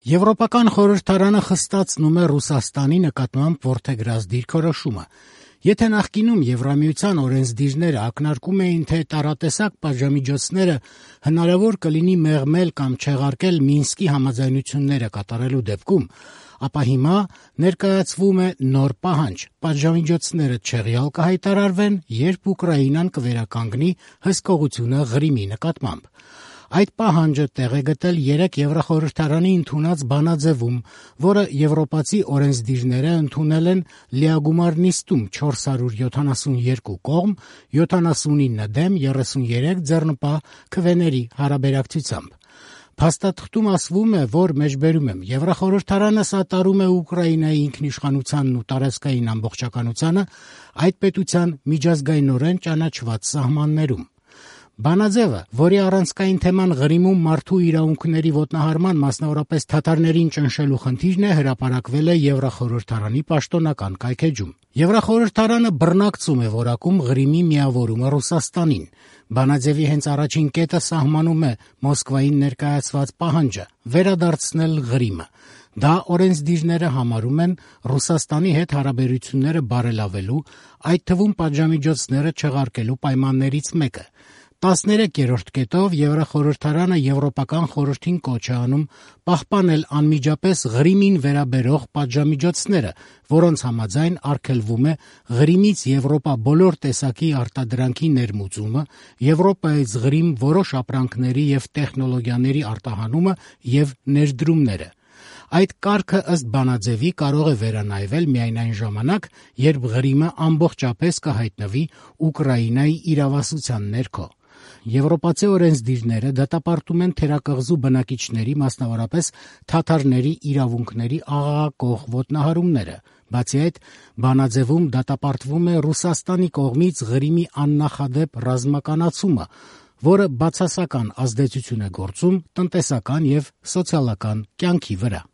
Եվրոպական խորհրդարանը խստացնում է Ռուսաստանի նկատմամբ որդեգրած դիրքորոշումը։ Եթե նախկինում Եվրամիության օրենսդիրները ակնարկում էին, թե տարատեսակ պատժամիջոցները հնարավոր կլինի մեղմել կամ չեղարկել Մինսկի համաձայնությունները կատարելու դեպքում, ապա հիմա ներկայացվում է նոր պահանջ՝ պատժամիջոցները չեղյալ կհայտարարվեն, երբ Ուկրաինան կվերականգնի հսկողությունը Ղրիմի նկատմամբ։ Այդ պահանջը տեղ է գտել 3 Եվրախորհրդարանի ընդունած բանաձևում, որը եվրոպացի օրենսդիրները ընդունել են լիագումար նիստում 472 կողմ, 79 դեմ, 33 ձեռնպահ քվեների հարաբերակցությամբ։ Փաստաթղթում ասվում է, որ մեջբերում եմ, Եվրախորհրդարանը սատարում է Ուկրաինայի ինքնիշխանությանն ու տարածքային ամբողջականությանը այդ պետության միջազգայնորեն ճանաչված սահմաններում։ Բանաձևը, որի առանցքային թեման Ղրիմում մարդու իրավունքների ոտնահարման, մասնավորապես թաթարներին ճնշելու խնդիրն է, հրապարակվել է Եվրախորհրդարանի պաշտոնական կայքէջում։ Եվրախորհրդարանը բռնակցում է որակում Ղրիմի միավորումը Ռուսաստանին։ Բանաձևի հենց առաջին կետը սահմանում է Մոսկվային ներկայացված պահանջը՝ վերադարձնել Ղրիմը։ Դա օրենսդիրները համարում են Ռուսաստանի հետ հարաբերությունները բարելավելու, այդ թվում պատժամիջոցները չեղարկելու պայմաններից մեկը։ 13-րդ կետով Եվրախորհրդարանը Եվրոպական խորհրդին կոչ է անում պահպանել անմիջապես Ղրիմին վերաբերող պատժամիջոցները, որոնց համաձայն արգելվում է Ղրիմից Եվրոպա բոլոր տեսակի արտադրանքի ներմուծումը, Եվրոպայից Ղրիմ որոշ ապրանքների և տեխնոլոգիաների արտահանումը և ներդրումները։ Այդ կարգը ըստ բանաձևի կարող է վերանայվել միայն այն ժամանակ, երբ Ղրիմը ամբողջապես կհայտնվի Ուկրաինայի իրավասության ներքո։ Եվրոպացի օրենսդիրները դատապարտում են թերակղզու բնակիչների, մասնավորապես թաթարների իրավունքների աղաղակող ոտնահարումները։ Բացի այդ, բանաձևում դատապարտվում է Ռուսաստանի կողմից Ղրիմի աննախադեպ ռազմականացումը, որը բացասական ազդեցություն է գործում տնտեսական և սոցիալական կյանքի վրա։